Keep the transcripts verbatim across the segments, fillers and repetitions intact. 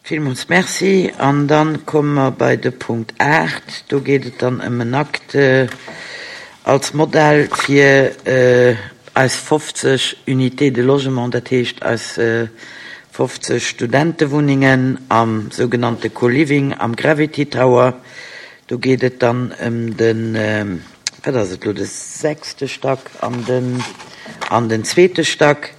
Villmools Merci. An dann komme mer bei de Punkt aacht. Do geet et dann ëm en Akt als Modell fir eis fofzeg Unités de logement, dat heescht eis fofzeg Studentewunnengen am sougenannte Co-Living am Gravity Tower. Do geet et dann ëm den, wat ass et elo, de sechste Stack an den, an den zweete Stack.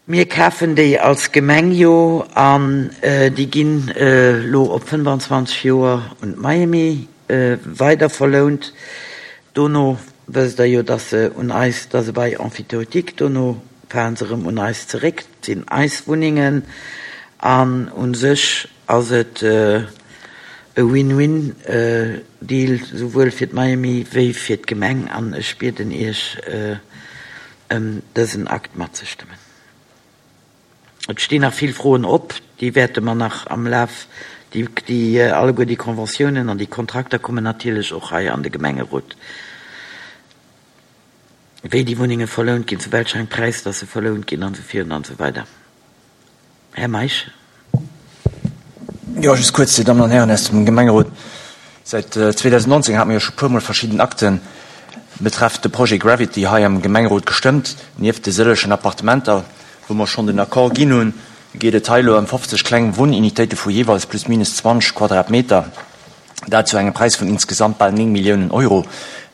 Mir kafen déi als Gemeng jo an déi ginn elo op fënnfanzwanzeg Joer un d'Miami weider verlount. Dono wësst Der jo, dass se un eis, dass se bei Emphytéotique, dono falen se erëm un eis zeréck, et sinn eis Wunnengen an u sech ass et e Win-Win-Deal, souwuel fir d'Miami wéi fir d'Gemeng an ech bieden Iech ëm dësen Akt matzestëmmen. Et stinn nach vill Froen op, déi wäerte mer nach am Laf, déi, déi alleguer déi Conventiounen an déi Kontrakter kommen natierlech och hei an de Gemengerot. Wéi déi Wunnenge verlount ginn, zu welch engem Präis dass se verlount ginn an esou virun an esou weider. Här Meisch. Jo, just kuerz, Dir Dammen an Hären aus dem Gemengerot. Säit zweedausendnonzéng hate mir jo scho puermol verschidden Akte betreffend de Projet Gravity hei am Gemengerot gestëmmt. Nieft de sëllegen Appartementer, wou mer schonn den Accord ginn hunn, geet et hei elo ëm fofzeg kleng Wunnunitéite vu jeeweils plus minus zwanzeg Quadratmeter. Dat zu engem Präis vun insgesamt bal néng Milliounen Euro.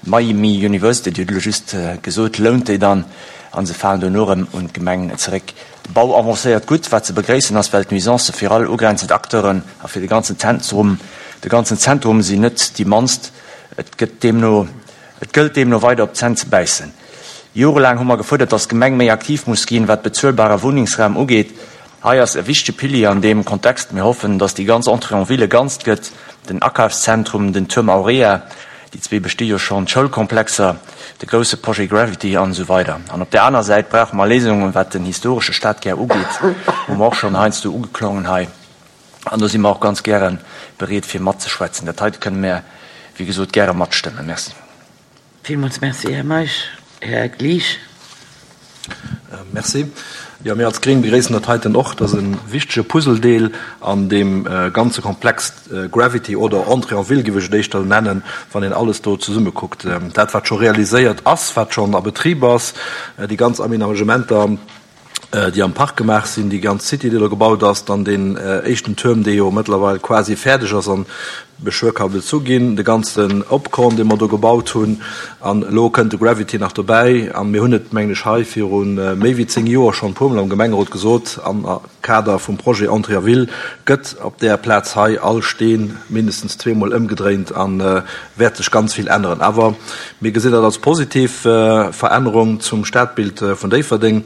D'Miami University, Dir hutt elo just gesot, lount déi dann a se falen dono erëm un d'Gemeng zeréck. De Bau avancéiert gutt, wat ze begréissen ass, well d'Nuisancë fir all ugrenzend Acteuren a fir de ganzen Zentrum, de ganzen Zentrum sinn net déi mannst. Et gëtt deemno, et gëllt deemno weider op d'Zänn ze bäissen. Jorelaang hu mer gefuerdert, datt d'Gemeng méi aktiv muss ginn, wat bezuelbare Wunnengsraum ugeet. Hei ass e wichtege Pilier an deem Kontext. Mir hoffen, datt déi ganz Entrée en ville ganzt gëtt, den Akafszentrum, den Tuerm Aurea, déi zwee besti jo schonn, d'Schoulkomplexer, de grousse Projet Gravity an esou weider. An op där aner Säit brauche mer Léisungen, wat den historesche Stadkär ugeet, hu mer och schonn heiansdo ugeklongen hei. An do si mer och ganz gäre bereet, fir matzeschwätzen. Dat heite kënne mer, wéi gesot, gäre matstëmmen. Merci. Villmools Merci, Här Meisch. Här Glich. Merci. Jo, mir als Gréng begréissen dat heiten och. Dat ass e wichtege Puzzledeel an deem ganze Komplex Gravity oder Entrée en ville, géif ech et éischter nennen, wann een alles do zesumme kuckt. Dat, wat scho realiséiert ass, wat schonn a Betrib ass, déi ganz Aménagementer, déi am Park gemaach sinn, déi ganz City, déi do gebaut ass, dann deen éischten Tuerm, dee jo mëttlerweil quasi fäerdeg ass an beschwuer ka bezu ginn, de ganzen Opkorn, dee mer do gebaut hunn, an elo kënnt de Gravity nach dobäi. A mir hunn et, mengen ech, hei viru méi wéi zéng Joer schonn e puermol am Gemengerot gesot, am Kader vum Projet Entrée en ville gëtt op där Plaz hei all Steen mindestens zweemol ëmgedréint a wäert sech ganz vill änneren. Awer mir gesinn dat als positiv Verännerung zum Stadbild vun Déifferdeng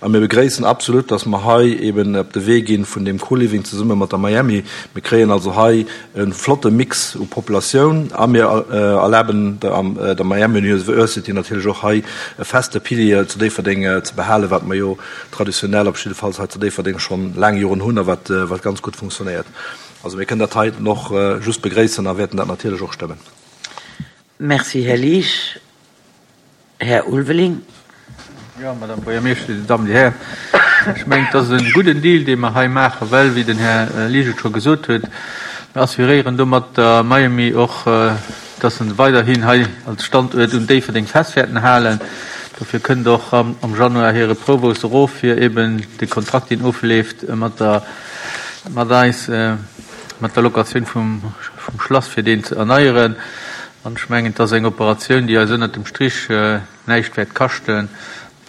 a mir begréissen absolut, dass mer hei eben op de Wee gi vun deem Co-Living zesumme mat der Miami. Mir kréien also hei e flotte Mix u Populatioun a mir erlaben der Miami University natierlech och hei e feste Pilier zu Déifferdeng ze behalen, wat mer jo traditionell op jiddefalls hei zu Déifferdeng schonn laang Joren hunn a wat wat ganz gutt funktionéiert. Also mir kënnen dat heiten och just begréissen a wäerten dat natierlech och stëmmen. Merci, Här Liesch. Här Ulveling. Jo, Madame Buergermeeschtesch, Dir Dammen, Dir Hären, ech mengen, et ass e gudden Deal, dee mer hei maachen, well, wéi den Här Liesch et scho gesot huet, mir assuréieren domat der Miami och, dass se weiderhin hei als Standuert un Déifferdeng fest wäerten halen. Dofir kënnt och am Januar hire Provost erof, fir eben de Kontrakt, deen ofleeft mat der, mat eis, mat der Locatioun vum, vum Schlass, fir deen ze erneieren. An ech mengen, et ass eng Operatioun, déi eis ënnert dem Strich näischt wäert kaschten,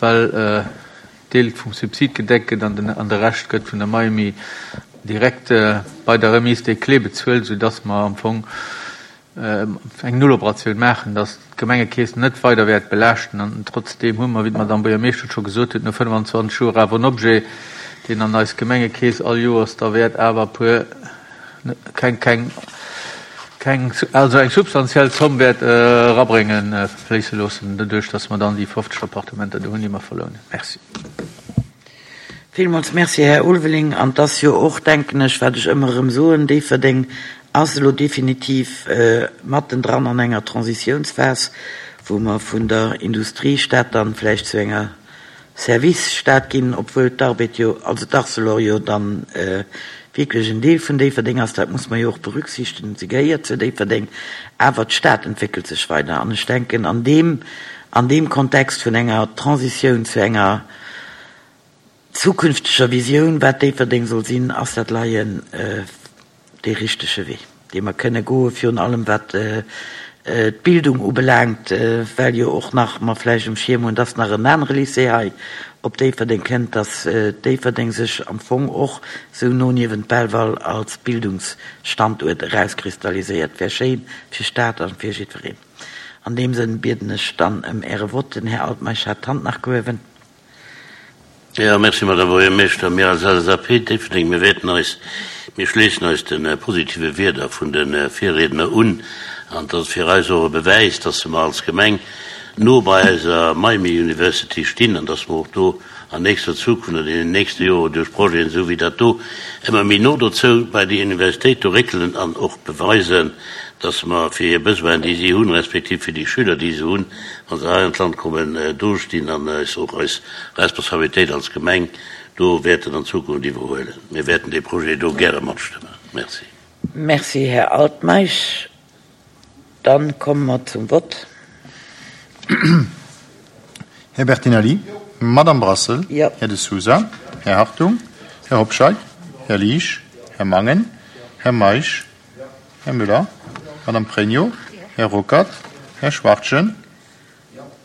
well Deel vum Subsid gedeckt gëtt an den, an de Rescht gëtt vun der Miami direkt bei der Remise des clés bezuelt, soudass mer am Fong eng Nulloperatioun maachen, dass d'Gemengekeess net weider wäert belaaschten. An trotzdeem hu mer, wéi d'Madame Buergermeeschter scho gesot huet, no fënnfanzwanzeg Joer awer en Objet, deen an eis Gemengekeess all Joers da wäert awer e puer, keng, keng, keng, also eng substantiell Zomm wäert erabréngen, fléisse loossen, doduerch dass mer dann déi fofzeg Appartementer do hunn, déi mer verlounen. Merci. Villmools Merci, Här Ulveling. An et ass jo och, denken ech, wat ech ëmmer erëm soen, Déifferdeng ass elo definitiv mattendran an enger Transitiounsphas, wou mer vun der Industriestad dann vläicht zu enger Servicestad ginn, obwuel d'Arbed jo, also d'Arcelor jo dann wierklech en Deel vun Déifferdeng ass. Dat muss mer jo och berücksichtegen. Se gehéiert zu Déifferdeng, awer d'Stad entwéckelt sech weider. An ech denken, an deem, an deem Kontext vun enger Transitioun zu enger zukünfteger Visioun, wat Déifferdeng soll sinn, ass dat leien dee richtege Wee, dee mer kënne goen, virun allem wat d'Bildung ubelaangt, well jo och nach mer vläicht um Schierm hunn, dass nach en anere Lycée hei op Déifferdeng kënnt, dass Déifferdeng sech am Fong och sou no niewent Belval als Bildungsstanduert erauskristalliséiert. Wär schéin fir Stad a fir jiddwereen. An deem Sënn bieden ech dann ëm Äre Vott. Den Här Altmeisch hat d'Hand nach gehuewen. Jo, merci, Madame Buergermeeschter. Mir als L S A P Déifferdeng, mir wäerten eis, mir schléissen eis de positive Wierder vun de Virriedner un. An dat ass fir eis och e Bewäis, dass mer als Gemeng no bei eiser Miami University stinn an dass mer och do an nächster Zukunft oder in den nächste Joren duerch Projeten, esou wéi dat do, ëmmer méi no dozou bei déi Universitéit do réckelen an och beweisen, dass mer fir hir Besoinen, déi si hunn, respektiv fir déi Schüler, déi se hunn, wa se hei an d'Land kommen, dostinn an eis och eis Responsabilitéit als Gemeng do wäerten an Zukunft iwwerhuelen. Mir wäerten dee Projet do gäre matstëmmen. Merci. Merci, Här Altmeisch. Dann komme mer zum Vott. Här Bertinelli, Madame Brassel, Jo. Här De Sousa, Här Hartung, Här Hobscheit, Här Liesch, Här Mangen, Här Meisch, Här Müller, Madame Pregno, Här Ruckert, Här Schwachtgen,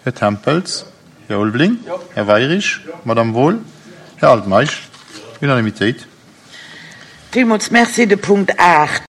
Här Tempels, Här Ulveling, Här Weirich, Madame Wohl, Här Altmeisch. Unanimitéit. Villmools merci. De Punkt aacht.